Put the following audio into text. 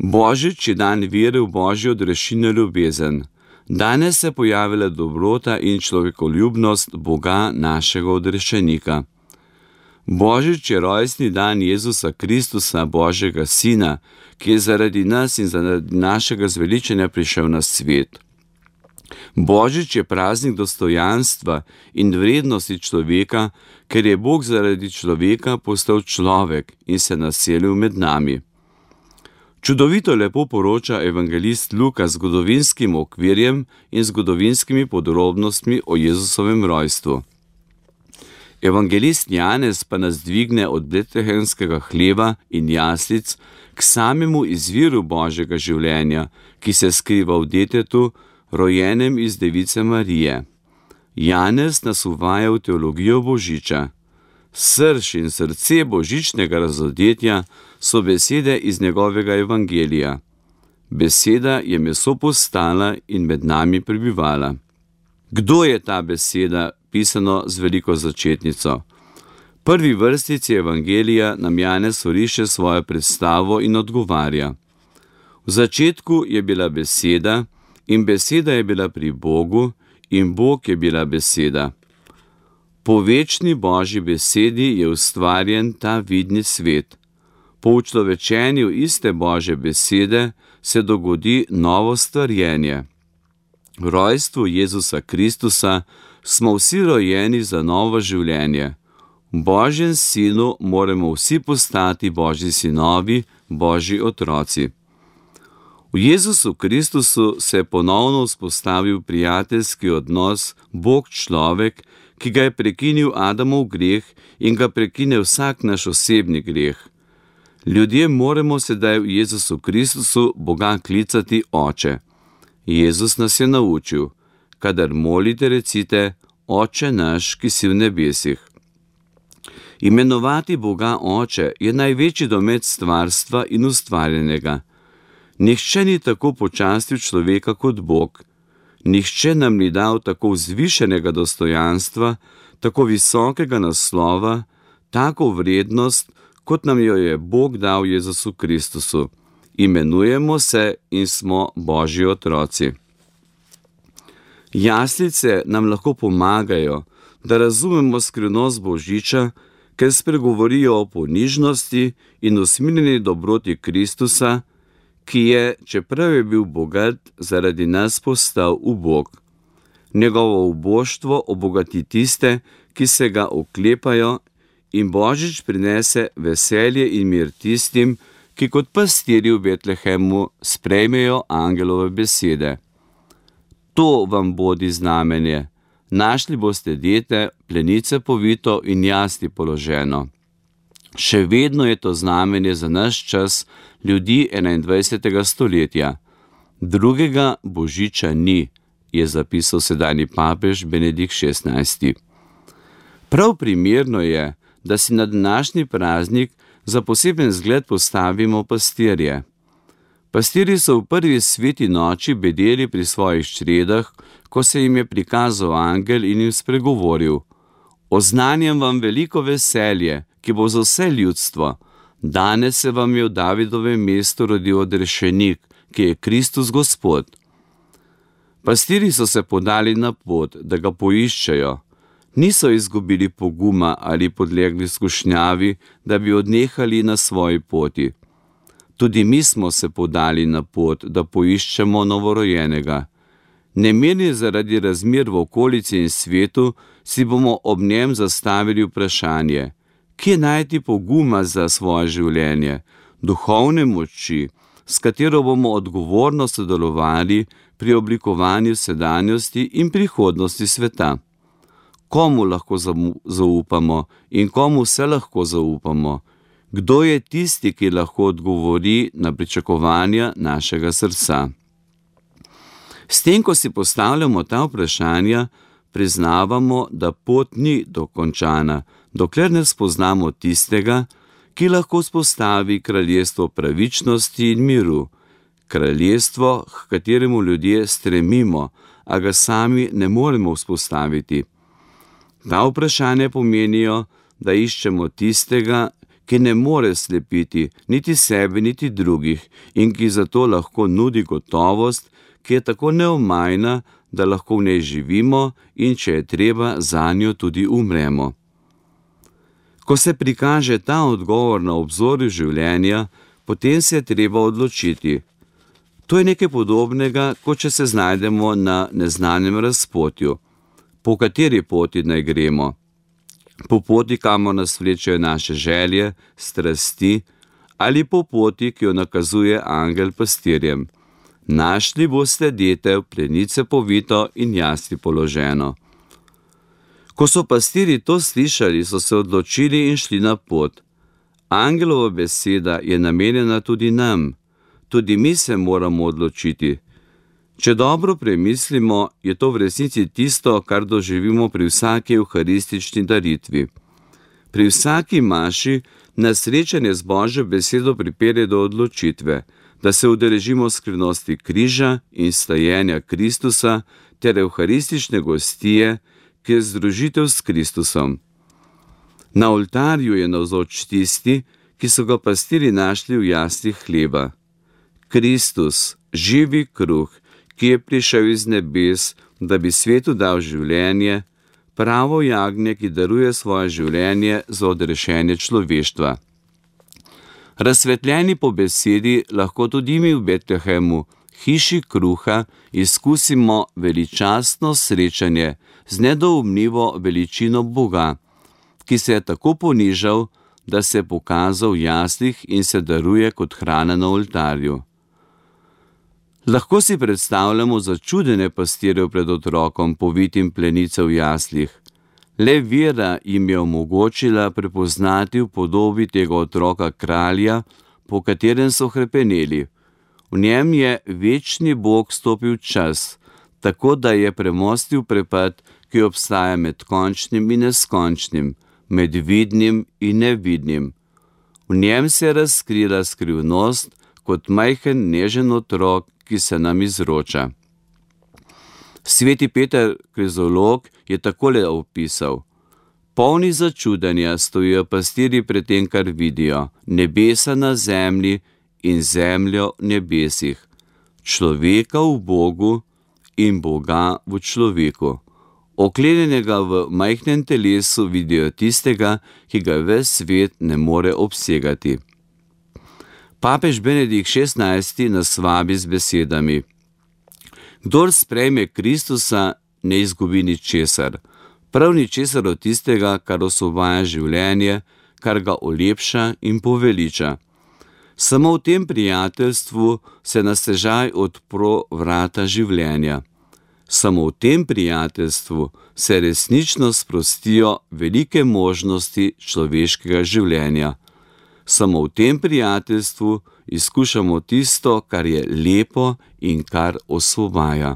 Božič je dan vere v Božjo odrešilno ljubezen. Danes se je pojavila dobrota in človekoljubnost Boga, našega odrešenika. Božič je rojstni dan Jezusa Kristusa, Božjega Sina, ki je zaradi nas in zaradi našega zveličanja prišel na svet. Božič je praznik dostojanstva in vrednosti človeka, ker je Bog zaradi človeka postal človek in se naselil med nami. Čudovito lepo poroča evangelist Luka z zgodovinskim okvirjem in zgodovinskimi podrobnostmi o Jezusovem rojstvu. Evangelist Janez pa nas dvigne od betlehemskega hleva in jaslic k samemu izviru Božjega življenja, ki se skriva v detetu, rojenem iz device Marije. Janez nas uvaja v teologijo Božiča. Srž in srce božičnega razodetja so besede iz njegovega evangelija. Beseda je meso postala in med nami prebivala. Kdo je ta beseda, pisano z veliko začetnico? Prvi vrstici evangelija nam Janez oriše svojo predstavo in odgovarja. V začetku je bila beseda in beseda je bila pri Bogu in Bog je bila beseda. Po večni Božji besedi je ustvarjen ta vidni svet. Po učlovečenju iste Božje besede se dogodi novo stvarjenje. V rojstvu Jezusa Kristusa smo vsi rojeni za novo življenje. V Božjem sinu moramo vsi postati Božji sinovi, Božji otroci. V Jezusu Kristusu se je ponovno vzpostavil prijateljski odnos Bog-človek, ki ga je prekinil Adamov greh in ga prekine vsak naš osebni greh. Ljudje moramo sedaj v Jezusu Kristusu Boga klicati Oče. Jezus nas je naučil, kadar molite, recite: Oče naš, ki si v nebesih. Imenovati Boga Oče je največji domet stvarstva in ustvarjenega. Nihče ni tako počastil človeka kot Bog. Nihče nam ni dal tako vzvišenega dostojanstva, tako visokega naslova, tako vrednost, kot nam jo je Bog dal Jezusu Kristusu. Imenujemo se in smo Božji otroci. Jaslice nam lahko pomagajo, da razumemo skrivnost Božiča, ker spregovorijo o ponižnosti in usmiljeni dobroti Kristusa, ki je, čeprav je bil bogat, zaradi nas postal ubog. Njegovo uboštvo obogati tiste, ki se ga oklepajo, in Božič prinese veselje in mir tistim, ki kot pastirji v Betlehemu sprejmejo angelove besede. To vam bodi znamenje. Našli boste dete, plenice povito in jasli položeno. Še vedno je to znamenje za naš čas, ljudi 21. stoletja. Drugega Božiča ni, je zapisal sedanji papež Benedikt XVI. Prav primerno je, da si na današnji praznik za poseben zgled postavimo pastirje. Pastirji so v prvi sveti noči bedeli pri svojih čredah, ko se jim je prikazal angel in jim spregovoril: Oznanjam vam veliko veselje, ki bo za vse ljudstvo. Danes se vam je v Davidovem mestu rodil odrešenik, ki je Kristus Gospod. Pastirji so se podali na pot, da ga poiščejo. Niso izgubili poguma ali podlegli skušnjavi, da bi odnehali na svoji poti. Tudi mi smo se podali na pot, da poiščemo novorojenega. Nemirni zaradi razmer v okolici in svetu, si bomo ob njem zastavili vprašanje: kje najti poguma za svoje življenje, duhovne moči, s katero bomo odgovorno sodelovali pri oblikovanju sedanjosti in prihodnosti sveta? Komu lahko zaupamo in komu se lahko zaupamo? Kdo je tisti, ki lahko odgovori na pričakovanja našega srca? S tem, ko si postavljamo ta vprašanja, priznavamo, da pot ni dokončana, dokler ne spoznamo tistega, ki lahko vzpostavi kraljestvo pravičnosti in miru, kraljestvo, k kateremu ljudje stremimo, a ga sami ne moremo vzpostaviti. Ta vprašanja pomenijo, da iščemo tistega, ki ne more slepiti niti sebe, niti drugih in ki zato lahko nudi gotovost, ki je tako neomajna, da lahko v njej živimo in če je treba, zanjo tudi umremo. Ko se prikaže ta odgovor na obzorju življenja, potem se je treba odločiti. To je nekaj podobnega, kot če se znajdemo na neznanem razpotju. Po kateri poti naj gremo? Po poti, kamor nas vlečejo naše želje, strasti, ali po poti, ki jo nakazuje angel pastirjem. Našli boste detev, plenice povito in jasli položeno. Ko so pastirji to slišali, so se odločili in šli na pot. Angelova beseda je namenjena tudi nam. Tudi mi se moramo odločiti. Če dobro premislimo, je to v resnici tisto, kar doživimo pri vsaki evharistični daritvi. Pri vsaki maši nas srečanje z Božjo besedo pripelje do odločitve, da se udeležimo skrivnosti križa in stajenja Kristusa ter evharistične gostije, ki je združitev s Kristusom. Na oltarju je navzoč tisti, ki so ga pastirji našli v jaslih hleba. Kristus, živi kruh, ki je prišel iz nebes, da bi svetu dal življenje, pravo jagnje, ki daruje svoje življenje za odrešenje človeštva. Razsvetljeni po besedi lahko tudi mi v Betlehemu, hiši kruha, izkusimo veličastno srečanje z nedoumljivo veličino Boga, ki se je tako ponižal, da se je pokazal v jaslih in se daruje kot hrana na oltarju. Lahko si predstavljamo začudenje pastirjev pred otrokom, povitim plenice v jaslih. Le vera jim je omogočila prepoznati v podobi tega otroka kralja, po katerem so hrepeneli. V njem je večni Bog stopil čas, tako da je premostil prepad, ki obstaja med končnim in neskončnim, med vidnim in nevidnim. V njem se je razkrila skrivnost kot majhen nežen otrok, ki se nam izroča. Sveti Peter Krizolog je takole opisal: polni začudenja stojijo pastirji pred tem, kar vidijo, nebesa na zemlji in zemljo v nebesih, človeka v Bogu in Boga v človeku. Oklenjenega v majhnem telesu vidijo tistega, ki ga ves svet ne more obsegati. Papež Benedikt XVI nas vabi z besedami: kdor sprejme Kristusa, ne izgubi ničesar, prav ničesar od tistega, kar osvobaja življenje, kar ga olepša in poveliča. Samo v tem prijateljstvu se na stežaj odpro vrata življenja. Samo v tem prijateljstvu se resnično sprostijo velike možnosti človeškega življenja. Samo v tem prijateljstvu izkušamo tisto, kar je lepo in kar osvobaja.